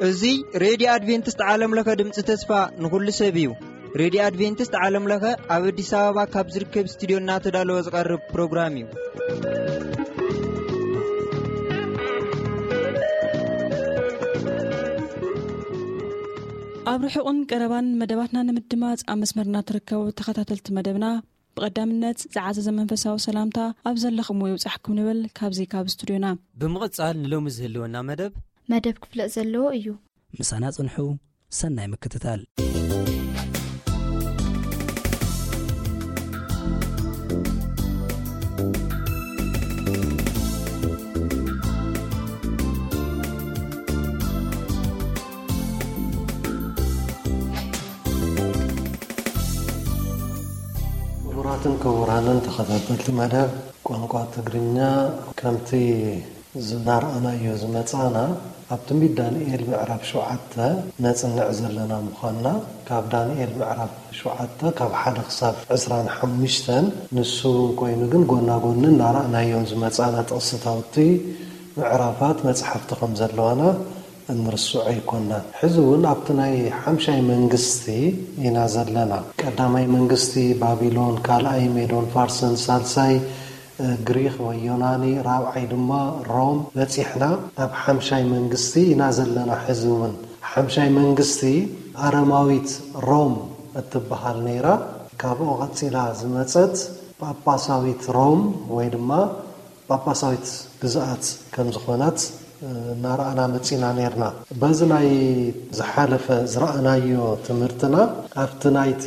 እዚ ሬድዮ ኣድቬንቲስት ዓለም ለኸ ድምፂ ተስፋ ንኹሉ ሰብ እዩ። ሬድዮ ኣድቬንቲስት ዓለም ለኸ ኣብ ኣዲስ ኣበባ ካብ ዝርከብ ስቱዲዮ እናተዳለወ ዝቐርብ ፕሮግራም እዩ። ኣብ ርሑቕን ቀረባን መደባትና ንምድማፅ ኣብ መስመርና ትርከቡ ተኸታተልቲ መደብና፣ ብቐዳምነት ዝዓዘዘ መንፈሳዊ ሰላምታ ኣብ ዘለኹምዎ ይብጻሕኩም ንብል ካብዚ ካብ ስቱድዮና። ብምቕጻል ንሎሚ ዝህልወና መደብ መደብ ክፍለጥ ዘለዎ እዩ። ምሳና ጽንሑ። ሰናይ ምክትታል። ክቡራትን ክቡራንን ተኸታተልቲ መደብ ቋንቋ ትግርኛ፣ ከምቲ ዝናርኣናዮ ዝመጻና፣ ኣብ ትንቢት ዳንኤል ምዕራፍ ሸውዓተ ነጽንዕ ዘለና ምዃንና፣ ካብ ዳንኤል ምዕራፍ ሸውዓተ ካብ ሓደ ክሳብ ዕስራን ሓሙሽተን፣ ንሱ እውን ኮይኑ ግን ጎና ጎኒ እናረኣናዮም ዝመጻና ጥቕስታውቲ ምዕራፋት መጽሓፍቲ ከም ዘለዋና እንርስዖ ኣይኮናን። ሕዚ እውን ኣብቲ ናይ ሓምሻይ መንግስቲ ኢና ዘለና። ቀዳማይ መንግስቲ ባቢሎን፣ ካልኣይ ሜዶን ፋርስን፣ ሳልሳይ፣ እ፣ ግሪኽ ወይ ዮናኒ፣ ራብዓይ ድማ ሮም በጺሕና። ኣብ ሓምሻይ መንግስቲ ኢና ዘለና። ሕዚ እውን ሓምሻይ መንግስቲ ኣረማዊት ሮም እትበሃል ነይራ። ካብኡ ቀጺላ ዝመጸት ጳጳሳዊት ሮም ወይ ድማ ጳጳሳዊት ግዝኣት ከም ዝኾነት፣ እ፣ እናረኣና መጺና ነይርና። በዚ ናይ ዝሓለፈ ዝረኣናዮ ትምህርትና፣ ኣብቲ ናይቲ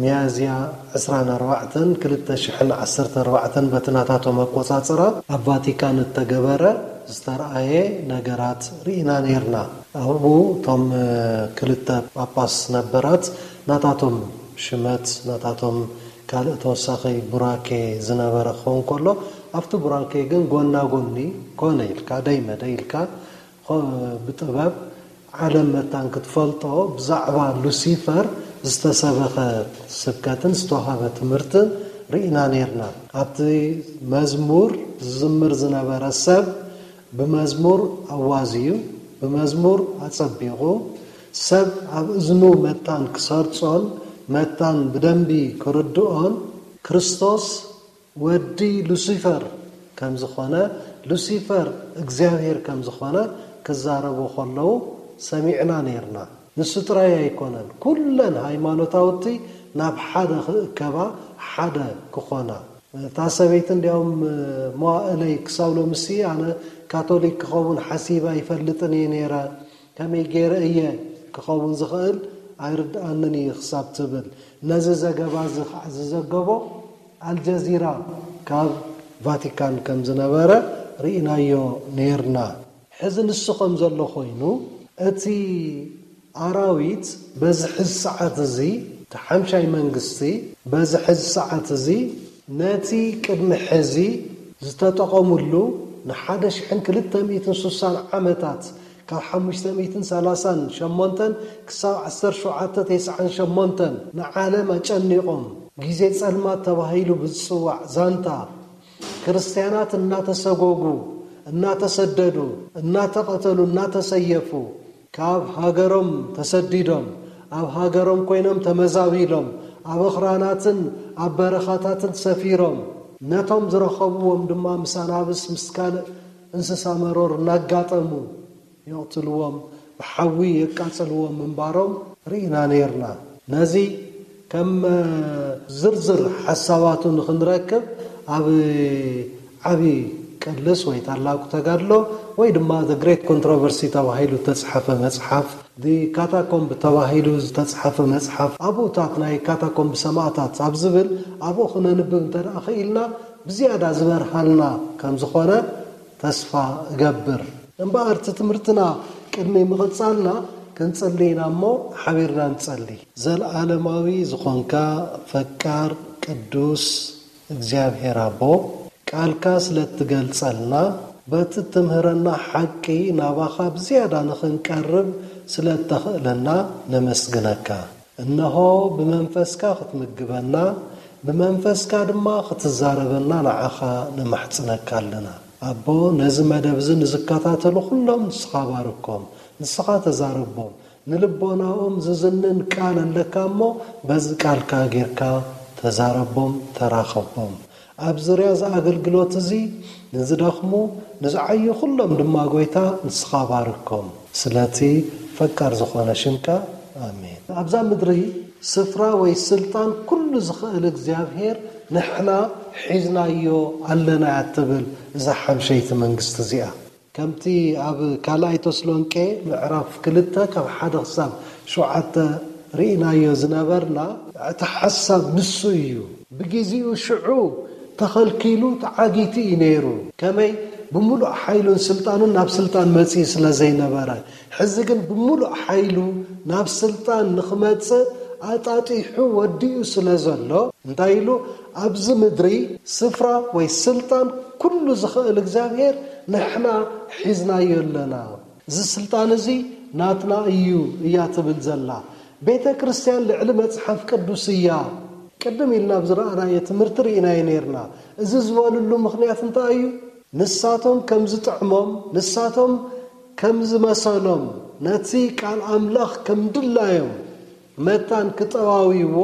ሚያዝያ ዕስራን ኣርባዕተን ክልተ ሽሕን ዓሰርተ ኣርባዕተን በቲ ናታቶም ኣቆጻጽራ ኣብ ቫቲካን እተገበረ ዝተረኣየ ነገራት ርኢና ነይርና። ኣብኡ እቶም፣ እ፣ ክልተ ጳጳስ ነበራት ናታቶም ሽመት፣ ናታቶም ካልእ ተወሳኺ ቡራኬ ዝነበረ ክኸውን ከሎ፣ ኣብቲ ቡራኬ ግን ጎና ጎኒ ኮነ ኢልካ፣ ደይ መደይ ኢልካ፣ ኾ-፣ ብጥበብ ዓለም መታን ክትፈልጦ ብዛዕባ ሉሲፈር ዝተሰበኸ ስብከትን ዝተዋህበ ትምህርትን ርኢና ነይርና። ኣብቲ መዝሙር ዝዝምር ዝነበረ ሰብ ብመዝሙር ኣዋዝዩ፣ ብመዝሙር ኣጸቢቑ፣ ሰብ ኣብ እዝኑ መታን ክሰርጾን መታን ብደንቢ ክርድኦን፣ ክርስቶስ ወዲ ሉሲፈር ከም ዝኾነ፣ ሉሲፈር እግዚኣብሔር ከም ዝኾነ ክዛረቡ ከለዉ ሰሚዕና ነይርና። ንሱ ጥራይ ኣይኮነን፣ ኩለን ሃይማኖታውቲ ናብ ሓደ ክእከባ፣ ሓደ ክኾና። እታ ሰበይቲ እንዲያውም መዋእለይ ክሳብ ሎምሲ ኣነ ካቶሊክ ክኸውን ሓሲበ ኣይፈልጥን እየ ነይረ፣ ከመይ ገይረ እየ ክኸውን ዝኽእል ኣይርድኣንን እዩ ክሳብ ትብል። ነዚ ዘገባ እዚ ከዓ ዝዘገቦ ኣልጀዚራ ካብ ቫቲካን ከም ዝነበረ ርኢናዮ ነይርና። ሕዚ ንሱ ከም ዘሎ ኮይኑ፣ እቲ ኣራዊት በዚ ሕዚ ሰዓት እዚ፣ እቲ ሓምሻይ መንግስቲ በዚ ሕዚ ሰዓት እዚ ነቲ ቅድሚ ሕዚ ዝተጠቐሙሉ ንሓደ ሽሕን ክልተ ሚእትን ስሳን ዓመታት፣ ካብ ሓሙሽተ ሚእትን ሰላሳን ሸሞንተን ክሳብ ዓሰርተ ሸውዓተ ተስዓን ሸሞንተን ንዓለም ኣጨኒቖም፣ ግዜ ጸልማት ተባሂሉ ብዝጽዋዕ ዛንታ፣ ክርስትያናት እናተሰጎጉ፣ እናተሰደዱ፣ እናተቐተሉ፣ እናተሰየፉ፣ ካብ ሃገሮም ተሰዲዶም፣ ኣብ ሃገሮም ኮይኖም ተመዛቢሎም፣ ኣብ ኣኽራናትን ኣብ በረኻታትን ሰፊሮም፣ ነቶም ዝረኸብዎም ድማ ምስ ኣናብስ ምስ ካልእ እንስሳ መሮር እናጋጠሙ የቕትልዎም፣ ብሓዊ የቃጽልዎም ምንባሮም ርኢና ነይርና። ነዚ ከም ዝርዝር ሓሳባቱ ንኽንረክብ ኣብ ዓቢ ቅልስ ወይ ታላቁ ተጋድሎ ወይ ድማ The Great Controversy ተባሂሉ ዝተጽሓፈ መጽሓፍ፣ The Catacomb ተባሂሉ ዝተጽሓፈ መጽሓፍ፣ ኣብኡታት ናይ ካታኮምብ ሰማእታት ኣብ ዝብል ኣብኡ ክነንብብ እንተ ደኣ ኽኢልና ብዝያዳ ዝበርሃልና ከም ዝኾነ ተስፋ እገብር። እምበኣር እቲ ትምህርትና ቅድሚ ምቕጻልና ክንጽሊ ኢና እሞ ሓቢርና ንጸሊ። ዘለዓለማዊ ዝኾንካ ፈቃር ቅዱስ እግዚኣብሔር ኣቦ፣ ቃልካ ስለ እትገልጸልና፣ በቲ እትምህረና ሓቂ ናባኻ ብዝያዳ ንኽንቀርብ ስለ እተኽእለና ነመስግነካ። እነሆ ብመንፈስካ ክትምግበና፣ ብመንፈስካ ድማ ክትዛረበና ንዓኻ ንማሕጽነካ ኣለና። ኣቦ፣ ነዚ መደብ እዚ ንዝከታተሉ ኩሎም ንስኻ ባርኮም፣ ንስኻ ተዛረቦም። ንልቦናኦም ዝዝንን ቃል ኣለካ እሞ፣ በዚ ቃልካ ጌርካ ተዛረቦም፣ ተራኸቦም። ኣብ ዙርያ እዚ ኣገልግሎት እዚ ንዝደኽሙ፣ ንዝዓዩ ኩሎም ድማ ጎይታ ንስኻ ባርኮም። ስለቲ ፈቃር ዝኾነ ሽምካ፣ ኣሜን። ኣብዛ ምድሪ ስፍራ ወይ ስልጣን ኩሉ ዝኽእል እግዚኣብሔር ንሕና ሒዝናዮ ኣለና እያ ትብል እዛ ሓምሸይቲ መንግስቲ እዚኣ። ከምቲ ኣብ ካልኣይ ተስሎንቄ ምዕራፍ ክልተ ካብ ሓደ ክሳብ ሸውዓተ ርኢናዮ ዝነበርና፣ እቲ ሓሳብ ንሱ እዩ። ብግዜኡ ሽዑ ተኸልኪሉ ተዓጊቱ እዩ ነይሩ። ከመይ? ብምሉእ ሓይሉን ስልጣኑን ናብ ስልጣን መጺኡ ስለ ዘይነበረ፣ ሕዚ ግን ብምሉእ ሓይሉ ናብ ስልጣን ንኽመጽእ ኣጣጢሑ ወዲኡ ስለ ዘሎ፣ እንታይ ኢሉ? ኣብዚ ምድሪ ስፍራ ወይ ስልጣን ኩሉ ዝኽእል እግዚኣብሔር ንሕና ሒዝናዮ ኣለና። እዚ ስልጣን እዚ ናትና እዩ እያ ትብል ዘላ። ቤተ ክርስቲያን ልዕሊ መጽሓፍ ቅዱስ እያ። ቅድም ኢልና ኣብ ዝረኣናዮ ትምህርቲ ርኢናዮ ነይርና። እዚ ዝበልሉ ምኽንያት እንታይ እዩ? ንሳቶም ከም ዝጥዕሞም፣ ንሳቶም ከም ዝመሰሎም፣ ነቲ ቃል ኣምላኽ ከም ድላዮም መታን ክጠዋውይዎ፣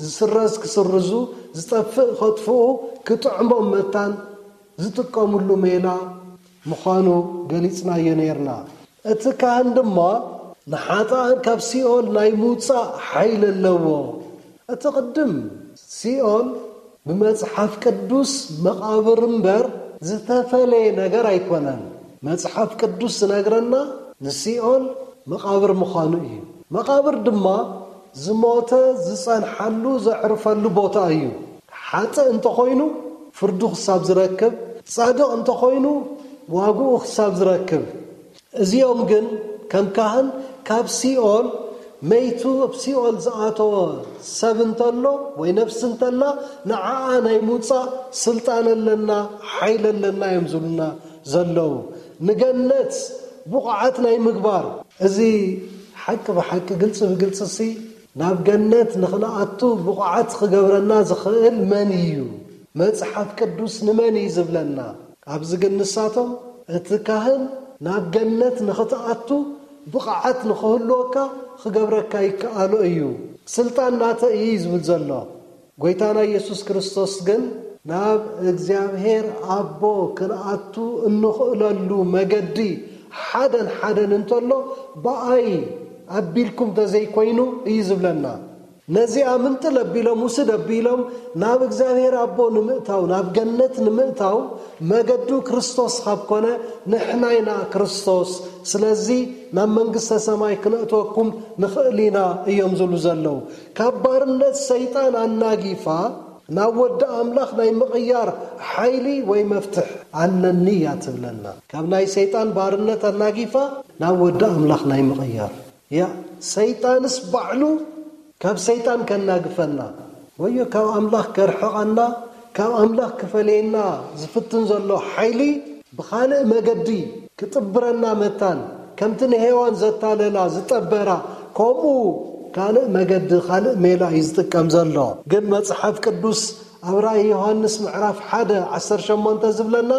ዝስረዝ ክስርዙ፣ ዝጠፍእ ከጥፍኡ፣ ክጥዕሞም መታን ዝጥቀምሉ ሜላ ምዃኑ ገሊጽናዮ ነይርና። እቲ ካህን ድማ ንሓጥኣን ካብ ሲኦል ናይ ምውጻእ ሓይሊ ኣለዎ። እቲ ቅድም ሲኦል ብመጽሓፍ ቅዱስ መቓብር እምበር ዝተፈለየ ነገር ኣይኮነን። መጽሓፍ ቅዱስ ዝነግረና ንሲኦል መቓብር ምዃኑ እዩ። መቓብር ድማ ዝሞተ ዝጸንሓሉ ዘዕርፈሉ ቦታ እዩ። ሓጥእ እንተኾይኑ ፍርዱ ክሳብ ዝረክብ፣ ጻድቕ እንተኾይኑ ዋግኡ ክሳብ ዝረክብ። እዚኦም ግን ከም ካህን ካብ ሲኦል መይቱ ኣብ ሲኦል ዝኣተወ ሰብ እንተሎ ወይ ነፍሲ እንተላ ንዓኣ ናይ ምውጻእ ስልጣን ኣለና፣ ሓይሊ ኣለና እዮም ዝብሉና ዘለዉ። ንገነት ብቑዓት ናይ ምግባር፣ እዚ ሓቂ ብሓቂ ግልጺ ብግልጺ ሲ ናብ ገነት ንኽንኣቱ ብቑዓት ክገብረና ዝኽእል መን እዩ? መጽሓፍ ቅዱስ ንመን እዩ ዝብለና? ኣብዚ ግን ንሳቶም እቲ ካህን ናብ ገነት ንኽትኣቱ ብቕዓት ንኽህልወካ ክገብረካ ይከኣሎ እዩ። ስልጣን ናተ እዩ ዝብል ዘሎ። ጎይታና ኢየሱስ ክርስቶስ ግን ናብ እግዚኣብሔር ኣቦ ክንኣቱ እንኽእለሉ መገዲ ሓደን ሓደን እንተሎ ብኣይ ኣቢልኩም ተዘይኮይኑ እዩ ዝብለና። ነዚኣ ምንጥል ኣቢሎም ውስድ ኣቢሎም ናብ እግዚኣብሔር ኣቦ ንምእታው፣ ናብ ገነት ንምእታው መገዱ ክርስቶስ ካብ ኮነ ንሕና ኢና ክርስቶስ። ስለዚ ናብ መንግስተ ሰማይ ክነእትወኩም ንኽእል ኢና እዮም ዝብሉ ዘለዉ። ካብ ባርነት ሰይጣን ኣናጊፋ ናብ ወዲ ኣምላኽ ናይ ምቕያር ሓይሊ ወይ መፍትሕ ኣለኒ እያ ትብለና። ካብ ናይ ሰይጣን ባርነት ኣናጊፋ ናብ ወዲ ኣምላኽ ናይ ምቕያር። ያ ሰይጣንስ ባዕሉ ካብ ሰይጣን ከናግፈና ወዮ ካብ ኣምላኽ ከርሕቐና፣ ካብ ኣምላኽ ክፈለየና ዝፍትን ዘሎ ሓይሊ ብኻልእ መገዲ ክጥብረና መታን፣ ከምቲ ንሄዋን ዘታለላ ዝጠበራ፣ ከምኡ ካልእ መገዲ፣ ካልእ ሜላ እዩ ዝጥቀም ዘሎ። ግን መጽሓፍ ቅዱስ ኣብ ራእይ ዮሃንስ ምዕራፍ ሓደ ዓሰርተ ሸሞንተ ዝብለና፣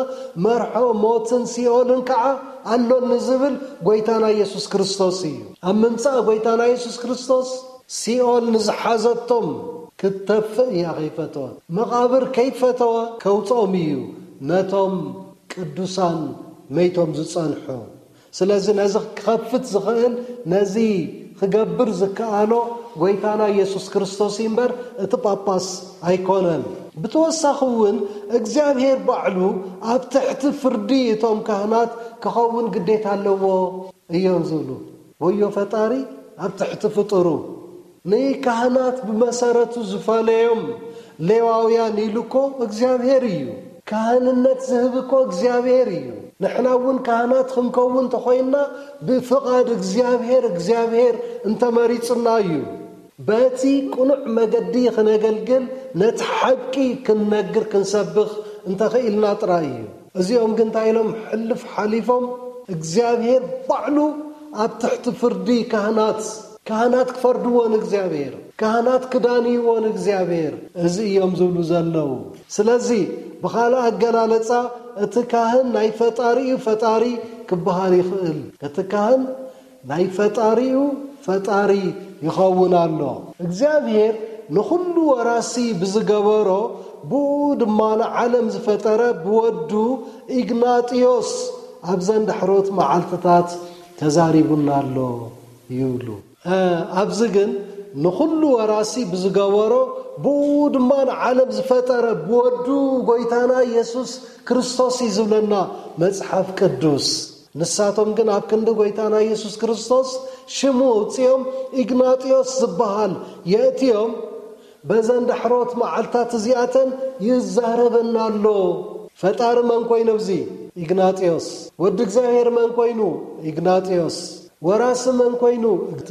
መርሖ ሞትን ሲኦልን ከዓ ኣሎኒ ዝብል ጎይታና ኢየሱስ ክርስቶስ እዩ። ኣብ ምምጻእ ጎይታና ኢየሱስ ክርስቶስ ሲኦል ንዝሓዘቶም ክትተፍእ እያ ከይፈተወ፣ መቓብር ከይፈተወ ከውፅኦም እዩ ነቶም ቅዱሳን መይቶም ዝጸንሑ። ስለዚ ነዚ ክኸፍት ዝኽእል፣ ነዚ ክገብር ዝከኣሎ ጎይታና ኢየሱስ ክርስቶስ እዩ እምበር እቲ ጳጳስ ኣይኮነን። ብተወሳኺ እውን እግዚኣብሔር ባዕሉ ኣብ ትሕቲ ፍርዲ እቶም ካህናት ክኸውን ግዴታ ኣለዎ እዮም ዝብሉ። ወዮ ፈጣሪ ኣብ ትሕቲ ፍጡሩ። ንካህናት ብመሰረቱ ዝፈለዮም ሌዋውያን ኢሉ እኮ እግዚኣብሔር እዩ። ካህንነት ዝህብ እኮ እግዚኣብሔር እዩ። ንሕና እውን ካህናት ክንከውን ተኾይንና ብፍቓድ እግዚኣብሔር፣ እግዚኣብሔር እንተመሪጹና እዩ። በቲ ቅኑዕ መገዲ ክነገልግል፣ ነቲ ሓቂ ክንነግር፣ ክንሰብኽ እንተኽኢልና ጥራይ እዩ። እዚኦም ግን እንታይ ኢሎም ሕልፍ ሓሊፎም? እግዚኣብሔር ባዕሉ ኣብ ትሕቲ ፍርዲ ካህናት፣ ካህናት ክፈርድዎ ንእግዚኣብሔር። ካህናት ክዳን ይዎ ንእግዚኣብሔር፣ እዚ እዮም ዝብሉ ዘለዉ። ስለዚ ብኻልእ ኣገላለጻ እቲ ካህን ናይ ፈጣሪኡ ፈጣሪ ክበሃል ይኽእል። እቲ ካህን ናይ ፈጣሪኡ ፈጣሪ ይኸውን ኣሎ። እግዚኣብሔር ንኹሉ ወራሲ ብዝገበሮ፣ ብኡ ድማ ንዓለም ዝፈጠረ ብወዱ ኢግናጢዮስ ኣብዘን ዳሕሮት መዓልትታት ተዛሪቡና ኣሎ ይብሉ። ኣብዚ ግን ንኹሉ ወራሲ ብዝገበሮ፣ ብኡ ድማ ንዓለም ዝፈጠረ ብወዱ ጎይታና ኢየሱስ ክርስቶስ እዩ ዝብለና መጽሓፍ ቅዱስ። ንሳቶም ግን ኣብ ክንዲ ጎይታና ኢየሱስ ክርስቶስ ሽሙ ኣውጺኦም ኢግናጢዮስ ዝበሃል የእትዮም፣ በዘን ዳሕሮት መዓልታት እዚኣተን ይዛረበና ኣሎ። ፈጣሪ መን ኮይኑ ኣብዚ? ኢግናጢዮስ። ወዲ እግዚኣብሔር መን ኮይኑ? ኢግናጢዮስ። ወራሲ መን ኮይኑ? እቲ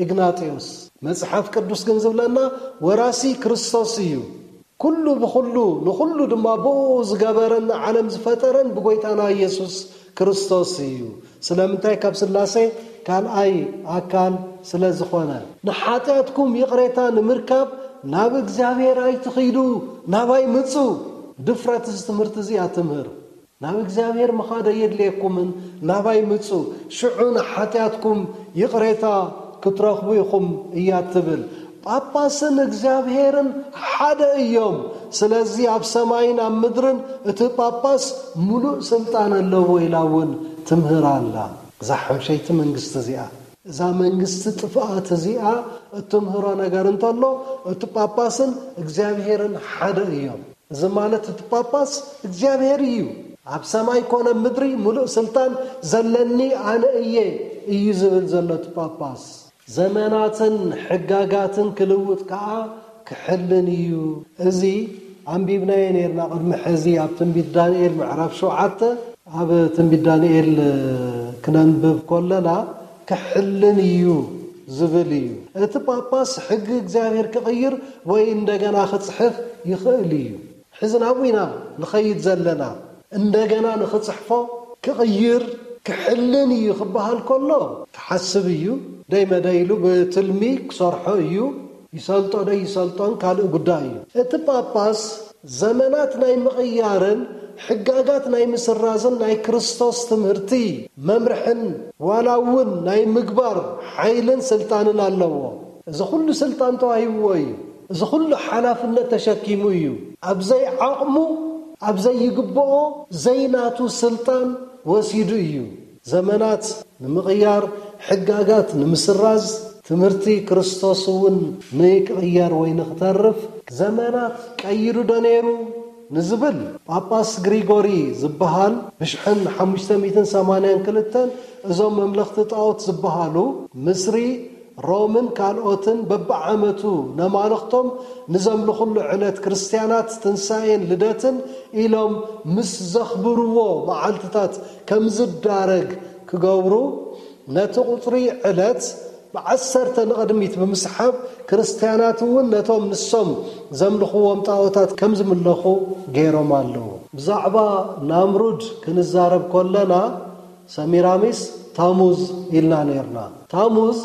ኢግናጢዮስ። መጽሓፍ ቅዱስ ግን ዝብለና ወራሲ ክርስቶስ እዩ። ኩሉ ብኹሉ ንኹሉ ድማ ብኡ ዝገበረን ንዓለም ዝፈጠረን ብጎይታና ኢየሱስ ክርስቶስ እዩ። ስለምንታይ? ካብ ስላሴ ካልኣይ ኣካል ስለ ዝኾነ። ንሓጢኣትኩም ይቕሬታ ንምርካብ ናብ እግዚኣብሔር ኣይትኺዱ፣ ናባይ ምጹ። ድፍረት እዚ ትምህርቲ እዚኣ ትምህር። ናብ እግዚኣብሔር ምኻድ ኣየድልየኩምን፣ ናባይ ምጹ፣ ሽዑ ንሓጢኣትኩም ይቕሬታ ክትረኽቡ ኢኹም እያ ትብል። ጳጳስን እግዚኣብሔርን ሓደ እዮም። ስለዚ ኣብ ሰማይን ኣብ ምድርን እቲ ጳጳስ ምሉእ ስልጣን ኣለዎ ኢላ እውን ትምህር ኣላ። እዛ ሓምሸይቲ መንግስቲ እዚኣ፣ እዛ መንግስቲ ጥፍኣት እዚኣ እትምህሮ ነገር እንተሎ፣ እቲ ጳጳስን እግዚኣብሔርን ሓደ እዮም። እዚ ማለት እቲ ጳጳስ እግዚኣብሔር እዩ። ኣብ ሰማይ ኮነ ምድሪ ምሉእ ስልጣን ዘለኒ ኣነ እየ እዩ ዝብል ዘሎ እቲ ጳጳስ። ዘመናትን ሕጋጋትን ክልውጥ ከኣ ክሕልን እዩ። እዚ ኣንቢብናዮ ነርና ቅድሚ ሕዚ ኣብ ትንቢት ዳንኤል ምዕራፍ ሸውዓተ፣ ኣብ ትንቢት ዳንኤል ክነንብብ ከለና ክሕልን እዩ ዝብል እዩ። እቲ ጳጳስ ሕጊ እግዚኣብሔር ክቕይር ወይ እንደገና ክጽሕፍ ይኽእል እዩ። ሕዚ ናብኡ ኢና ንኸይድ ዘለና። እንደገና ንኽጽሕፎ ክቕይር ክሕልን እዩ ክበሃል ከሎ ክሓስብ እዩ። ደይ መደይ ኢሉ ብትልሚ ክሰርሖ እዩ። ይሰልጦ ደይ ይሰልጦን ካልእ ጉዳይ እዩ። እቲ ጳጳስ ዘመናት ናይ ምቕያርን ሕጋጋት ናይ ምስራዝን ናይ ክርስቶስ ትምህርቲ መምርሕን ዋላ እውን ናይ ምግባር ሓይልን ስልጣንን ኣለዎ። እዚ ኩሉ ስልጣን ተዋሂብዎ እዩ። እዚ ኩሉ ሓላፍነት ተሸኪሙ እዩ። ኣብ ዘይዓቕሙ፣ ኣብ ዘይግብኦ፣ ዘይናቱ ስልጣን ወሲዱ እዩ። ዘመናት ንምቕያር፣ ሕጋጋት ንምስራዝ፣ ትምህርቲ ክርስቶስ እውን ንክቕየር ወይ ንክተርፍ ዘመናት ቀይሩ ዶ ነይሩ ንዝብል፣ ጳጳስ ግሪጎሪ ዝበሃል ብሽሕን ሓሙሽተ ሚእትን ሰማንያን ክልተን እዞም መምለኽቲ ጣዖት ዝበሃሉ ምስሪ፣ ሮምን ካልኦትን በብዓመቱ ነማልኽቶም ንዘምልኹሉ ዕለት ክርስትያናት ትንሳኤን ልደትን ኢሎም ምስ ዘኽብርዎ መዓልትታት ከም ዝዳረግ ክገብሩ፣ ነቲ ቁጽሪ ዕለት ብዓሰርተ ንቕድሚት ብምስሓብ ክርስትያናት እውን ነቶም ንሶም ዘምልኽዎም ጣዖታት ከም ዝምለኹ ገይሮም ኣለዉ። ብዛዕባ ናምሩድ ክንዛረብ ከለና ሰሚራሚስ ታሙዝ ኢልና ነርና። ታሙዝ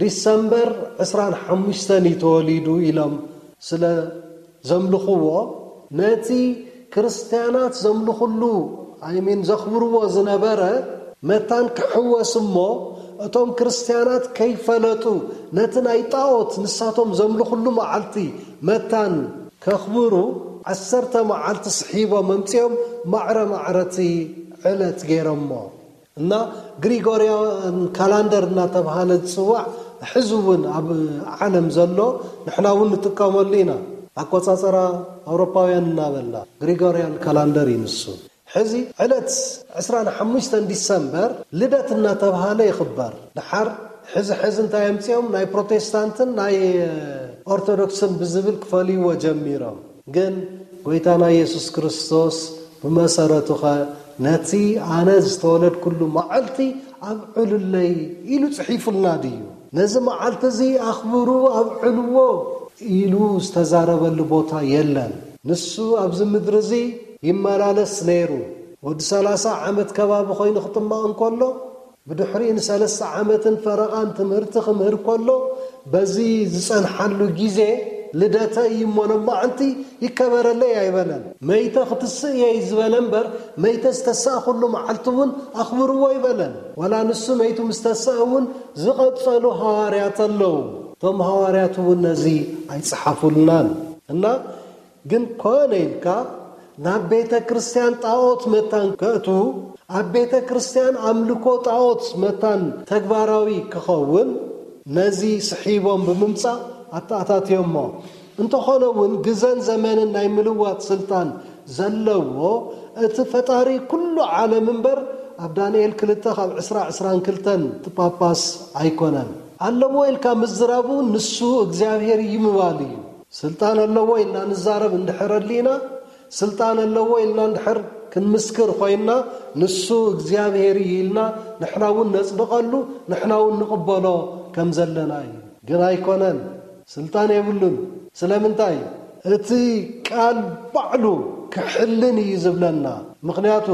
ዲሰምበር ዕስራን ሓሙሽተን እዩ ተወሊዱ ኢሎም ስለ ዘምልኽዎ፣ ነቲ ክርስትያናት ዘምልኽሉ፣ ኣይሚን ዘኽብርዎ ዝነበረ መታን ክሕወስ እሞ፣ እቶም ክርስትያናት ከይፈለጡ ነቲ ናይ ጣዖት ንሳቶም ዘምልኽሉ መዓልቲ መታን ከኽብሩ ዓሰርተ መዓልቲ ስሒቦም ኣምጺኦም ማዕረ ማዕረቲ ዕለት ገይሮሞ። እና ግሪጎርያን ካላንደር እናተብሃለ ዝጽዋዕ ሕዚ እውን ኣብ ዓለም ዘሎ ንሕና እውን ንጥቀመሉ ኢና። ኣቆጻጽራ ኣውሮፓውያን እናበልና ግሪጎርያን ካላንደር እዩ ንሱ። ሕዚ ዕለት ዕስራን ሓሙሽተን ዲሰምበር ልደት እናተብሃለ ይኽበር። ድሓር ሕዚ ሕዚ እንታይ ኣምጺኦም ናይ ፕሮቴስታንትን ናይ ኦርቶዶክስን ብዝብል ክፈልይዎ ጀሚሮም። ግን ጎይታና ኢየሱስ ክርስቶስ ብመሰረቱኸ ነቲ ኣነ ዝተወለድኩሉ መዓልቲ ኣብዕሉለይ ኢሉ ጽሒፉልና ድዩ? ነዚ መዓልቲ እዚ ኣኽብሩ ኣብዕልዎ ኢሉ ዝተዛረበሉ ቦታ የለን። ንሱ ኣብዚ ምድሪ እዚ ይመላለስ ነይሩ። ወዲ ሰላሳ ዓመት ከባቢ ኮይኑ ክጥመቕ እንከሎ፣ ብድሕሪኡ ንሰለስተ ዓመትን ፈረቓን ትምህርቲ ክምህር ከሎ፣ በዚ ዝጸንሓሉ ግዜ ልደተይ እሞ ሎማዓንቲ ይከበረለይ ኣይበለን። መይተ ክትስእ እየ ዝበለ እምበር፣ መይተ ዝተሳእኹሉ መዓልቲ እውን ኣኽብርዎ ኣይበለን። ዋላ ንሱ መይቱ ምስ ተስአ እውን ዝቐጸሉ ሃዋርያት ኣለዉ። እቶም ሃዋርያት እውን ነዚ ኣይጸሓፉልናን። እና ግን ኮነ ኢልካ ናብ ቤተ ክርስቲያን ጣዖት መታን ከእቱ፣ ኣብ ቤተ ክርስቲያን ኣምልኮ ጣዖት መታን ተግባራዊ ክኸውን ነዚ ስሒቦም ብምምጻእ ኣተኣታትዮሞ። እንተኾነ እውን ግዘን ዘመንን ናይ ምልዋጥ ስልጣን ዘለዎ እቲ ፈጣሪ ኩሉ ዓለም እምበር፣ ኣብ ዳንኤል ክልተ ካብ ዕስራ ዕስራን ክልተን እቲ ጳጳስ ኣይኮነን። ኣለዎ ኢልካ ምዝራቡ ንሱ እግዚኣብሔር እዩ ምባል እዩ። ስልጣን ኣለዎ ኢልና ንዛረብ እንድሕር ኣሊና፣ ስልጣን ኣለዎ ኢልና እንድሕር ክንምስክር ኮይንና፣ ንሱ እግዚኣብሔር እዩ ኢልና ንሕና እውን ነጽድቐሉ፣ ንሕና እውን ንቕበሎ ከም ዘለና እዩ። ግን ኣይኮነን፣ ስልጣን የብሉን። ስለምንታይ? እቲ ቃል ባዕሉ ክሕልን እዩ ዝብለና። ምኽንያቱ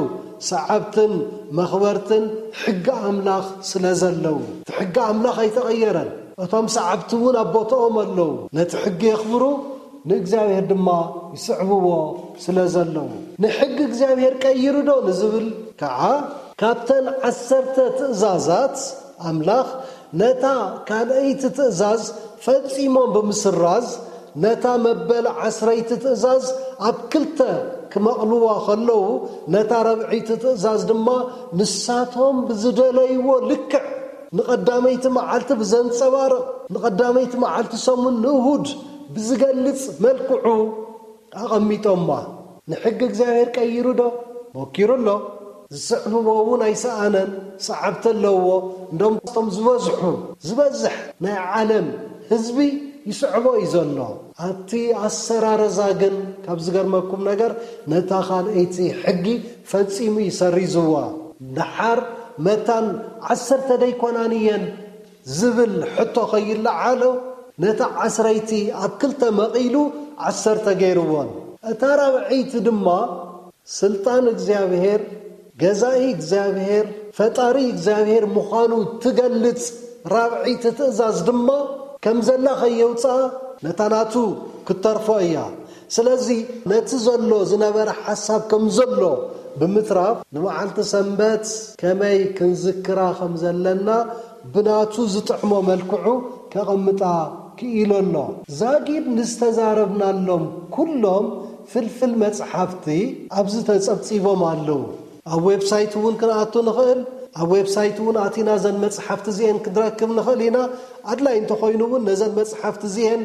ሰዓብትን መኽበርትን ሕጊ ኣምላኽ ስለ ዘለዉ፣ እቲ ሕጊ ኣምላኽ ኣይተቐየረን። እቶም ሰዓብቲ እውን ኣብ ቦታኦም ኣለዉ። ነቲ ሕጊ የኽብሩ፣ ንእግዚኣብሔር ድማ ይስዕብዎ ስለ ዘለዉ። ንሕጊ እግዚኣብሔር ቀይሩ ዶ ንዝብል ከዓ፣ ካብተን ዓሰርተ ትእዛዛት ኣምላኽ፣ ነታ ካልኣይቲ ትእዛዝ ፈጺሞም ብምስራዝ፣ ነታ መበል ዓስረይቲ ትእዛዝ ኣብ ክልተ ክመቕልዋ ከለዉ፣ ነታ ራብዐይቲ ትእዛዝ ድማ ንሳቶም ብዝደለይዎ ልክዕ፣ ንቐዳመይቲ መዓልቲ ብዘንጸባርቕ፣ ንቐዳመይቲ መዓልቲ ሰሙን ንእሁድ ብዝገልጽ መልክዑ ኣቐሚጦማ። ንሕጊ እግዚኣብሔር ቀይሩ ዶ? ሞኪሩ ኣሎ። ዝስዕብዎ እውን ኣይሰኣነን፣ ሰዓብቲ ኣለዎ። እንደም እቶም ዝበዝሑ፣ ዝበዝሕ ናይ ዓለም ህዝቢ ይስዕቦ እዩ ዘሎ። ኣብቲ ኣሰራረዛ ግን ካብ ዝገርመኩም ነገር፣ ነታ ካልኣይቲ ሕጊ ፈጺሙ እዩ ሰሪዝዋ። ደሓር መታን ዓሰርተ ደይኮናን እየን ዝብል ሕቶ ከይለዓሎ፣ ነታ ዓስረይቲ ኣብ ክልተ መቒሉ ዓሰርተ ገይርዎን። እታ ራብዐይቲ ድማ ስልጣን እግዚኣብሔር፣ ገዛኢ እግዚኣብሔር፣ ፈጣሪ እግዚኣብሔር ምዃኑ ትገልጽ ራብዐይቲ ትእዛዝ ድማ ከም ዘላ ከየውፅኣ ነታ ናቱ ክትተርፎ እያ። ስለዚ ነቲ ዘሎ ዝነበረ ሓሳብ ከም ዘሎ ብምትራፍ፣ ንመዓልቲ ሰንበት ከመይ ክንዝክራ ከም ዘለና ብናቱ ዝጥዕሞ መልክዑ ከቐምጣ ክኢሉ ኣሎ። ዛጊድ ንዝተዛረብናሎም ኩሎም ፍልፍል መጽሓፍቲ ኣብዚ ተጸብጺቦም ኣለዉ። ኣብ ዌብሳይት እውን ክንኣቱ ንኽእል። ኣብ ዌብሳይት እውን ኣቲና ዘን መጽሓፍቲ እዚኤን ክንረክብ ንኽእል ኢና። ኣድላይ እንተኾይኑ እውን ነዘን መጽሓፍቲ እዚኤን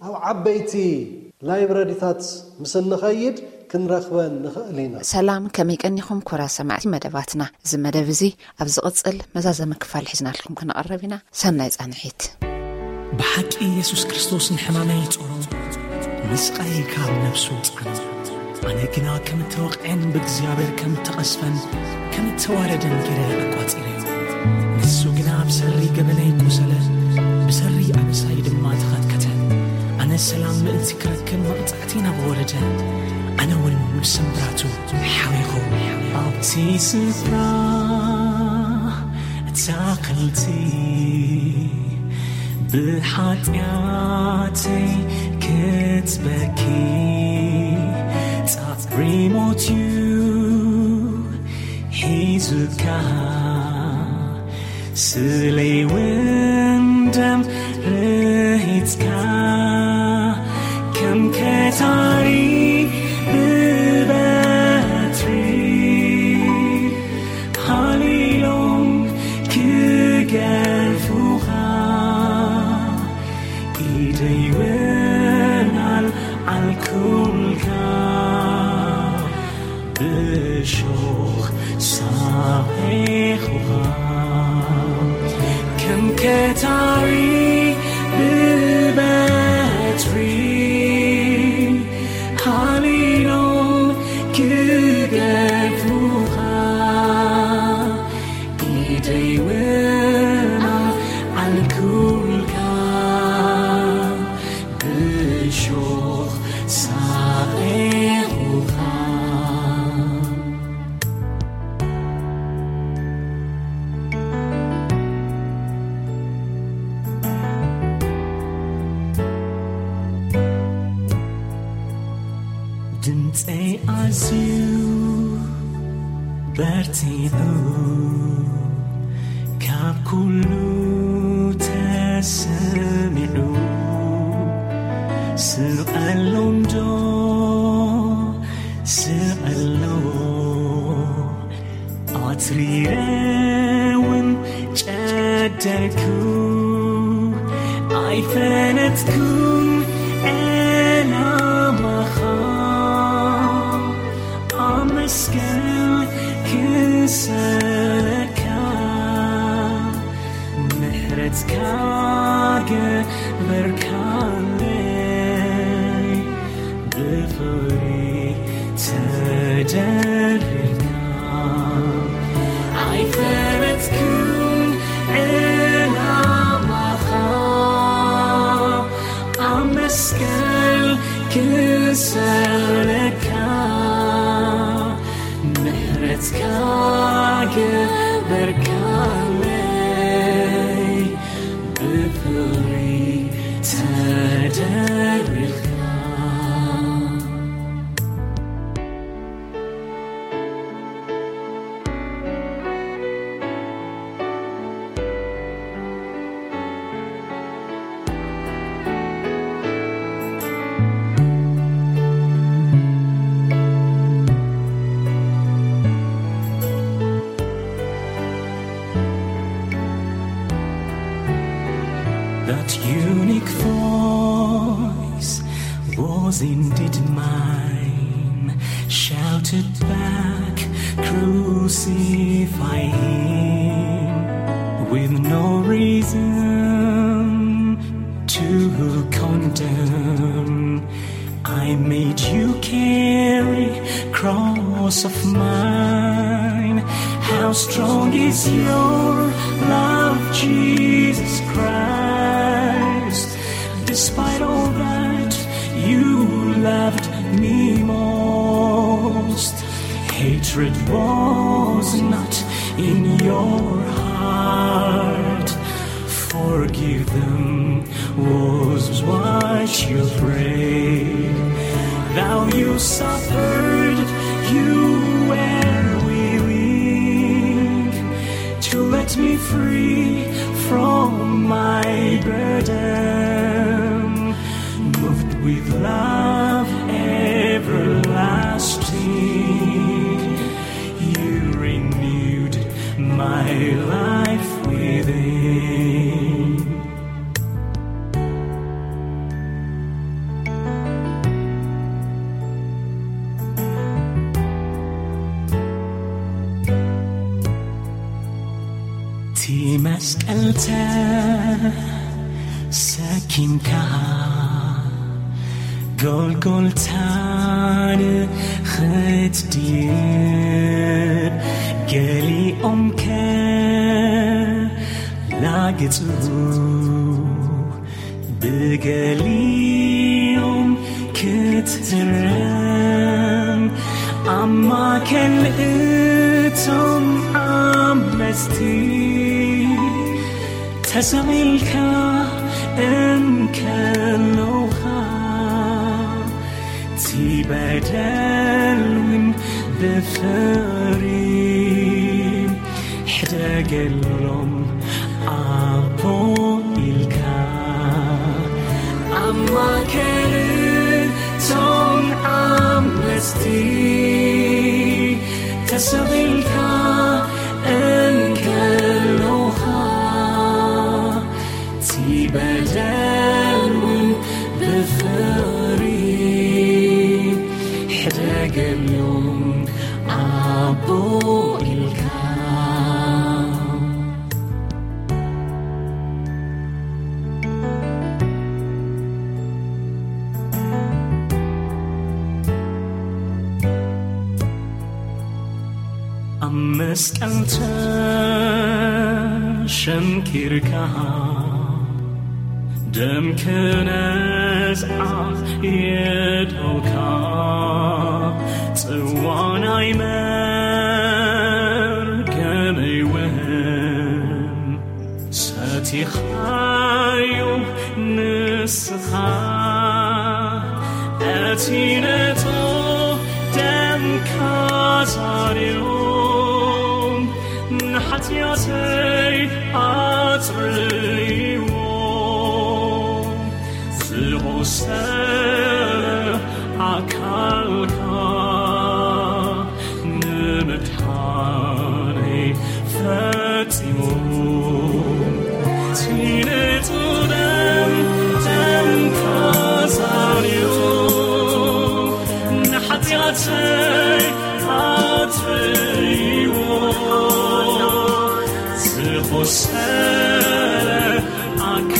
ኣብ ዓበይቲ ላይብረሪታት ምስ እንኸይድ ክንረኽበን ንኽእል ኢና። ሰላም፣ ከመይ ቀኒኹም ክቡራት ሰማዕቲ መደባትና? እዚ መደብ እዚ ኣብ ዝቕጽል መዛዘሚ ክፋል ሒዝናልኩም ክንቐርብ ኢና። ሰናይ ጻንሒት። ብሓቂ የሱስ ክርስቶስ ንሕማመይ ጾሮ፣ ንስቓየይ ካብ ነፍሱ ጻዕኖ። ኣነ ግና ከም እተወቕዐን ብእግዚኣብሔር ከም እተቐስፈን ከም እተዋረደን ገይረ ኣቋጺረዮ። ንሱ ግና ብሰሪ ገበነይ ቆሰለ፣ ብሰሪ ኣበሳይ ድማ ተኸትከተ። ኣነ ሰላም ምእንቲ ክረክብ መቕጻዕቲ ናብ ወረደ፣ ኣነ እውን ብስምብራቱ ሓዊኹ። ኣብቲ ስፍራ ኣትክልቲ ብሓጢኣተይ ክትበኪ ጻዕሪ ሞት እዩ ሒዙካ። ስለይ እውን ደም ርሂጽካ ከም ከታሪ ብበትሪ ሃሊሎም ክገርፉኻ ኢደይ እውን ኣልዓልኩልካ። ብእሾኽ ሳቒኹኻ ከም ከታሪ ብበትሪ ሃሊ ድምፀይ ኣዝዩ በርቲዑ ካብ ኩሉ ተሰሚዑ፣ ስቐሎ እንዶ ስቐሎ፣ ኣትሪረ እውን ጨደርኩ፣ ኣይፈለጥኩን ዕላማኻ፣ ኣመስገን ክሰለካ፣ ምሕረትካ ገበርካለይ፣ ብፍቕሪ ተደሪርካ፣ ኣይፈለጥኩን ዕላማኻ፣ ኣመስገን ክሰለካ፣ ምሕረትካ ገበርካለይ፣ ብፍቕሪ ተደሪርካ። That unique voice was indeed mine, shouted back, "Crucify him," with no reason to condemn. I made you carry cross of mine. How strong is your love, Jesus Christ. Despite all that, you loved me most. Hatred was not in your heart. Forgive them was what you prayed. Thou you suffered, you were willing to let me free from my burden. Moved with love everlasting, you renewed my life within. እቲ መስቀል ተሰኪምካ ጎልጎልታ ንኽትድይብ፣ ገሊኦም ከላግጹ ብገሊኦም ክትህረም፣ ኣብ ማእከል እቶም ዓመጽቲ ተሰቒልካ እንከለኻ፣ እቲ በደል እውን ብፍቕሪ ሕደገሎም ኣቦ ኢልካ። ኣብ ማእከል እቶም ዓመጽቲ ተሰቒልካ እንከለኻ፣ እቲ በደል እውን ብፍቕሪ ሕደገሎም ኣቦ ኢልካ። ኣብ መስቀል ተሸንኪርካ፣ ደም ክነዝዓ የድኦካ፣ ጽዋ ናይ መርገመይ እውን ሰቲኻዮ ንስኻ። እቲ ነቶ ካዛርዮም ንሓጢኣተይ ኣጽርይዎ። ዝቖሰለ ኣካልካ ንምድሓነይ ፈጺሙ። እቲ ንጹህ ደም፣ ደምካ ዛርዮ ንሓጢኣተይ ኣጥርይዎ። ዝቖሰለ ኣካ